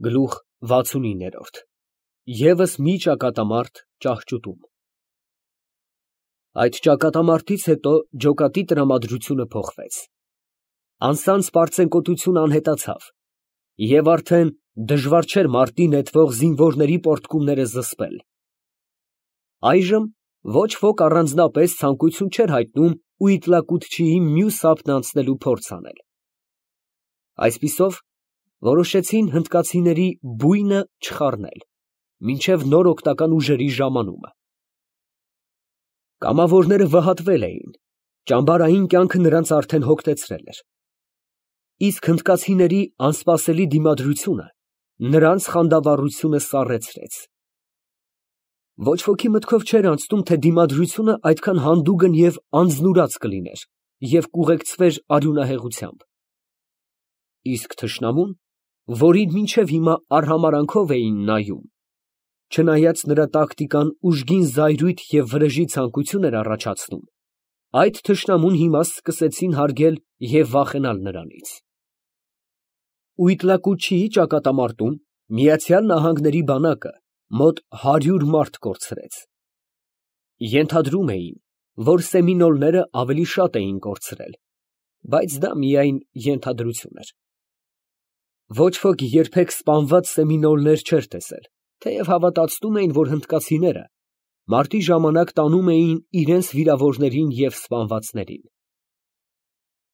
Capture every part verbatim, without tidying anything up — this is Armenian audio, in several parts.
Գլուխ վաթսունինը ԵՒս մի ճակատամարտ ճահճուտում։ Այդ ճակատամարտից հետո ջոկատի տրամադրությունը փոխվեց, անսանց պարծենկոտությունը անհետացավ, և արդեն դժվար չէր մարտի նետվող զինվորների պոռթկումները զսպել։ Այժմ ոչ ոք առանձնապես ցանկություն չէր հայտնում Ուիտլակուտչիի մյուս ափն անցնելու փորձ անել։ Այսպիսով, որոշեցին հնդկացիների բույնը չխառնել մինչև նոր օգնական ուժերի ժամանումը։ Կամավորները վհատվել էին, ճամբարային կյանքը նրանց արդեն հոգնեցրել էր, իսկ հնդկացիների անսպասելի դիմադրությունը նրանց խանդավառությունը սառեցրեց։ Ոչ ոքի մտքով չէր անցնում, թե դիմադրությունը այդքան հանդուգն և անձնուրաց կլիներ և կուղեկցվեր արյունահեղությամբ։ Իսկ թշնամուն, որին մինչև հիմա արհամարհանքով էին նայում, չնայած նրա տակտիկան ուժգին զայրույթ և վրեժի ցանկություն էր առաջացնում, այդ թշնամուն հիմա սկսեցին հարգել և վախենալ նրանից։ Ուիտլակուտչիի ճակատամարտում Միացյալ Նահանգների բանակը մոտ հարյուր մարդ կորցրեց։ Ենթադրում էին, որ սեմինոլները ավելի շատ էին կորցրել, բայց դա միայն ենթադրություն էր։ Ոչ ոք երբեք սպանված սեմինոլներ չէր տեսել, թեև հավատացնում էին, որ հնդկացիները մարտի ժամանակ տանում էին իրենց վիրավորներին և սպանվածներին։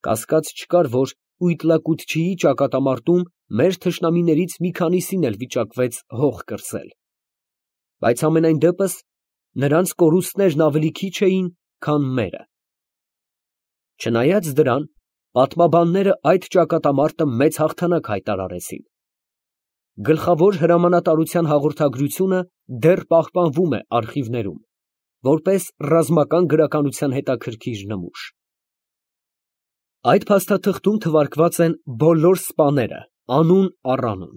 Կասկած չկար, որ Ուիտլակուտչիի ճակատամարտում մեր թշնամիներից մի քանիսին էլ վիճակվեց հող կրծել, բայց համենայն դեպս նրանց կորուստներն ավելի քիչ էին, քան մերը։ Չնայած դրան, պատմաբանները այդ ճակատամարտը մեծ հաղթանակ հայտարարեցին։ Գլխավոր հրամանատարության հաղորդագրությունը դեռ պահպանվում է արխիվներում, որպես ռազմական գրականության հետաքրքիր նմուշ։ Այդ փաստաթղթում թվարկված են բոլոր սպաները անուն առ անուն,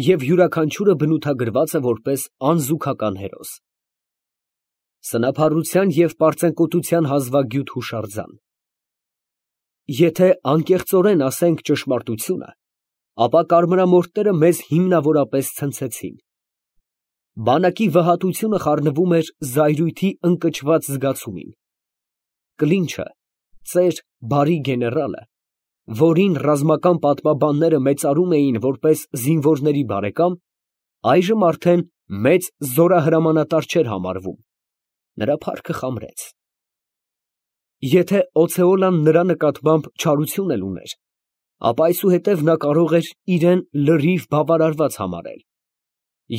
և յուրաքանչյուրը բնութագրված է որպես անզուգական հերոս։ Սնափառության և պարծենկոտության հազվագյուտ հուշարձան։ Եթե անկեղծորեն ասենք ճշմարտությունը, ապա կարմրամորթները մեզ հիմնավորապես ցնցեցին։ Բանակի վհատությունը խառնվում էր զայրույթի ընկճված զգացումին։ Կլինչը, ծեր բարի գեներալը, որին ռազմական պատմաբանները մեծարում էին որպես զինվորների բարեկամ, այժմ արդեն մեծ զորահրամանատար չէր համարվում, նրա փառքը խամրեց։ Եթե Օցեոլան նրա նկատմամբ չարություն էլ ուներ, ապա այսուհետև նա կարող էր իրեն լրիվ բավարարված համարել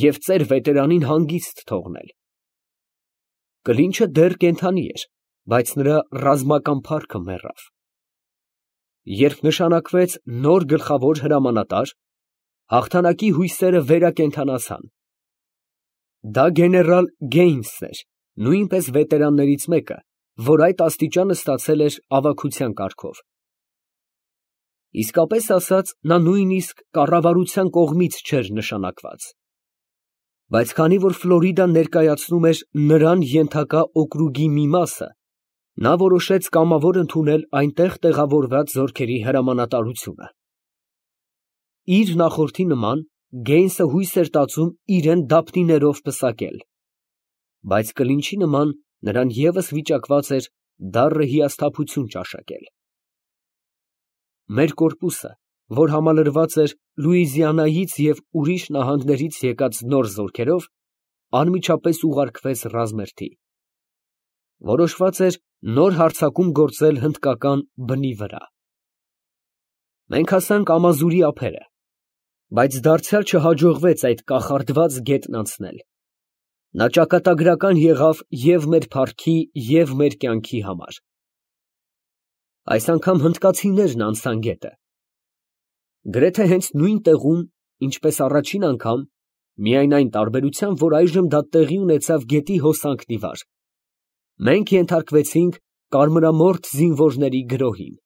և ծեր վետերանին հանգիստ թողնել։ Կլինչը դեռ կենդանի էր, բայց նրա ռազմական փառքը մեռավ։ Երբ նշանակվեց նոր գլխավոր հրամանատար, հաղթանակի հույսերը վերակենդանացան։ Դա գեներալ Գեյնսն էր, նույնպես վետերաններից մեկը, որ այդ աստիճանը ստացել էր ավագության կարգով։ Իսկապես ասած, նա նույնիսկ կառավարության կողմից չէր նշանակված։ Բայց քանի որ Ֆլորիդան ներկայացնում էր նրան ենթակա օկրուգի մի մասը, նա որոշեց կամավոր ընդունել այնտեղ տեղավորված զորքերի հրամանատարությունը։ Իր նախորդի նման, Գեյնսը հույս էր տածում իրեն դափնիներով պսակել, բայց կլինչի նման նրան ևս վիճակված էր դառը հիասթափություն ճաշակել։ Մեր կորպուսը, որ համալրված էր Լուիզիանայից և ուրիշ նահանգներից եկած նոր զորքերով, անմիջապես ուղարկվեց ռազմերթի։ Որոշված էր նոր հարձակում գործել հնդկական բնի վրա։ Մենք հասանք Ամազուրի ափերը, բայց դարձյալ չհաջողվեց այդ կախարդված գետն անցնել։ Նա ճակատագրական եղավ և մեր փառքի, և մեր կյանքի համար։ Այս անգամ հնդկացիներն անցան գետը։ Գրեթե հենց նույն տեղում, ինչպես առաջին անգամ, միայն այն տարբերությամբ, որ այժմ դա տեղի ունեցավ գետի հոսանքն ի վար, մենք ենթարկվեցինք կարմրամորթ զինվորների գրոհին։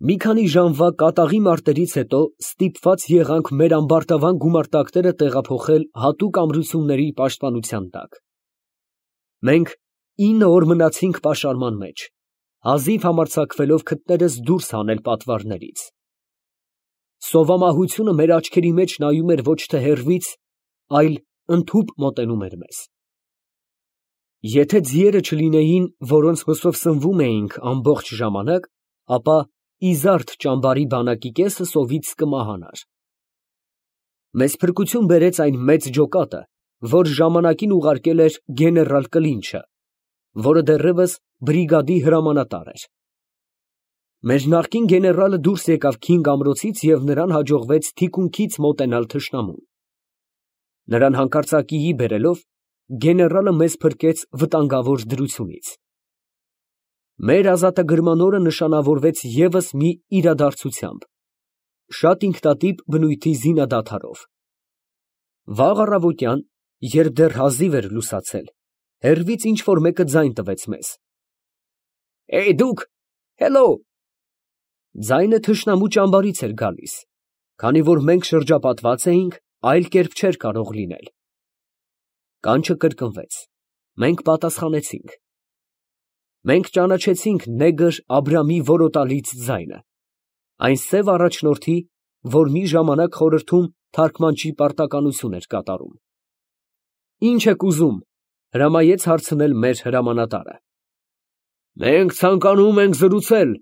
Մի քանի ժամվա կատաղի մարտերից հետո ստիպված եղանք մեր ամբարտավան գումարտակները տեղափոխել հատուկ ամրությունների պաշտպանության տակ։ Մենք ինը օր մնացինք պաշարման մեջ, հազիվ համարձակվելով քթներս դուրս հանել պատվարներից։ Սովամահությունը մեր աչքերի մեջ նայում էր ոչ թե հեռվից, այլ ընդհուպ մոտենում էր մեզ։ Եթե ձիերը չլինեին, որոնց հոսով սնվում էինք ամբողջ ժամանակ, ապա իզարդ ճամբարի բանակի կեսը սովից կմահանար։ Մեզ փրկություն բերեց այն մեծ ջոկատը, որ ժամանակին ուղարկել էր գեներալ Կլինչը, որը դեռևս բրիգադի հրամանատար էր։ Մեր նախկին գեներալը դուրս եկավ Քինգ ամրոցից և նրան հաջողվեց թիկունքից մոտենալ թշնամուն։ Նրան հանկարծակիի բերելով, գեներալը մեզ փրկեց վտանգավոր դրությունից։ Մեր ազատագրման օրը նշանավորվեց ևս մի իրադարձությամբ, շատ ինքնատիպ բնույթի զինադադարով։ Վաղ առավոտյան, երբ դեռ հազիվ էր լուսացել, հեռվից ինչ֊որ մեկը ձայն տվեց մեզ. «Էյ դուք, հելո»։ Ձայնը թշնամու ճամբարից էր գալիս, քանի որ մենք շրջապատված էինք, այլ կերպ չէր կարող լինել։ Կանչը կրկնվեց, մենք պատասխանեցինք։ Մենք ճանաչեցինք նեգր Աբրամի որոտալից ձայնը, այն սև առաջնորդի, որ մի ժամանակ խորհրդում թարգմանչի պարտականություն էր կատարում։ «Ի՞նչ եք ուզում», հրամայեց հարցնել մեր հրամանատարը։ «Մենք ցանկանում ենք զրուցել»,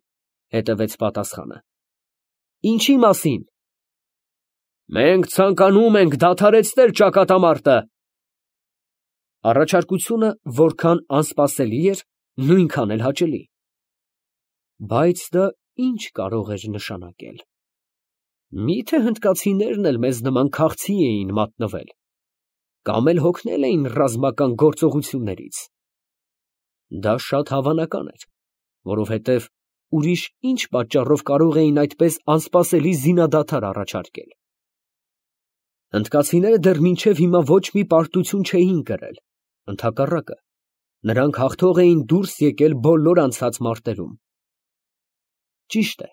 հետևեց պատասխանը։ «Ինչի մասին»։ «Մենք ցանկանում ենք դադարեցնել ճակատամարտը»։ Առաջարկությունը որքան անսպասելի էր, նույնքան էլ հաճելի։ Բայց դա ի՞նչ կարող էր նշանակել։ Մի՞թե հնդկացիներն էլ մեզ նման քաղցի էին մատնվել, կամ էլ հոգնել էին ռազմական գործողություններից։ Դա շատ հավանական էր, որովհետև ուրիշ ի՞նչ պատճառով կարող էին այդպես անսպասելի զինադադար առաջարկել։ Հնդկացիները դեռ մինչև հիմա ոչ մի պարտություն չէին կրել, ընդհակառակը, նրանք հաղթող էին դուրս եկել բոլոր անցած մարտերում։ Ճիշտ է,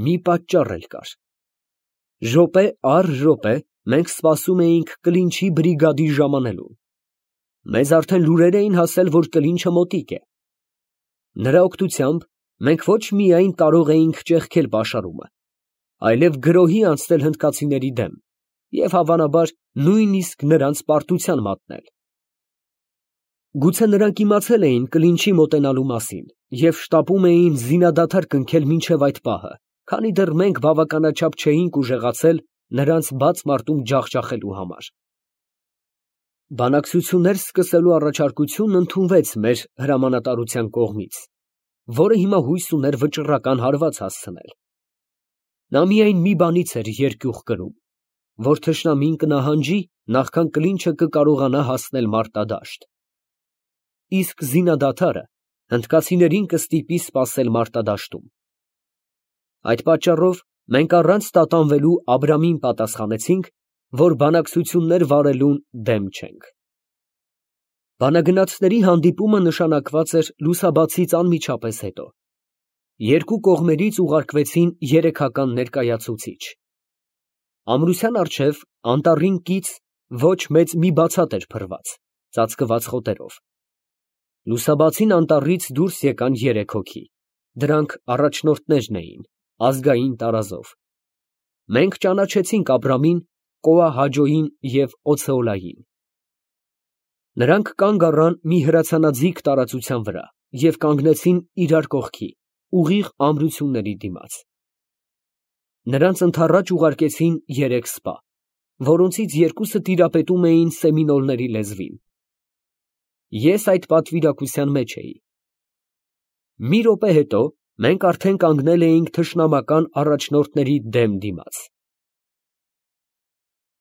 մի պատճառ էլ կար։ Րոպե առ րոպե մենք սպասում էինք Կլինչի բրիգադի ժամանելուն։ Մեզ արդեն լուրեր էին հասել, որ Կլինչը մոտիկ է։ Նրա օգնությամբ մենք ոչ միայն կարող էինք ճեղքել պաշարումը, այլև գրոհի անցնել հնդկացիների դեմ և հավանաբար նույնիսկ նրանց պարտության մատնել։ Գուցե նրանք իմացել էին Կլինչի մոտենալու մասին և շտապում էին զինադադար կնքել մինչև այդ պահը, քանի դեռ մենք բավականաչափ չէինք ուժեղացել նրանց բաց մարտում ջախջախելու համար։ Բանակցություններ սկսելու առաջարկությունն ընդունվեց մեր հրամանատարության կողմից, որը հիմա հույս ուներ վճռական հարված հասցնել։ Նա միայն մի բանից էր երկյուղ կրում, որ թշնամին կնահանջի, նախքան Կլինչը կկարողանա հասնել մարտադաշտ։ Իսկ զինադադարը հնդկացիներին կստիպի սպասել մարտադաշտում։ Այդ պատճառով մենք առանց տատանվելու Աբրամին պատասխանեցինք, որ բանակցություններ վարելուն դեմ չենք։ Բանագնացների հանդիպումը նշանակված էր լուսաբացից անմիջապես հետո։ Երկու կողմերից ուղարկվեցին երեքական ներկայացուցիչ։ Ամրության առջև անտառին կից ոչ մեծ մի բացատ էր փռված, ծածկված խոտերով։ Լուսաբացին անտառից դուրս եկան երեք հոգի, դրանք առաջնորդներն էին, ազգային տարազով։ Մենք ճանաչեցինք Աբրամին, Կոա֊Հաջոյին և Օցեոլային։ Նրանք կանգ առան մի հրացանաձիգ տարածության վրա և կանգնեցին իրար կողքի, ուղիղ ամրությունների դիմաց։ Նրանց ընդառաջ ուղարկեցին երեք սպա, որոնցից երկուսը տիրապետում էին սեմինոլների լեզվին։ Ես այդ պատվիրակության մեջ էի։ Մի րոպե հետո մենք արդեն կանգնել էինք թշնամական առաջնորդների դեմ դիմաց։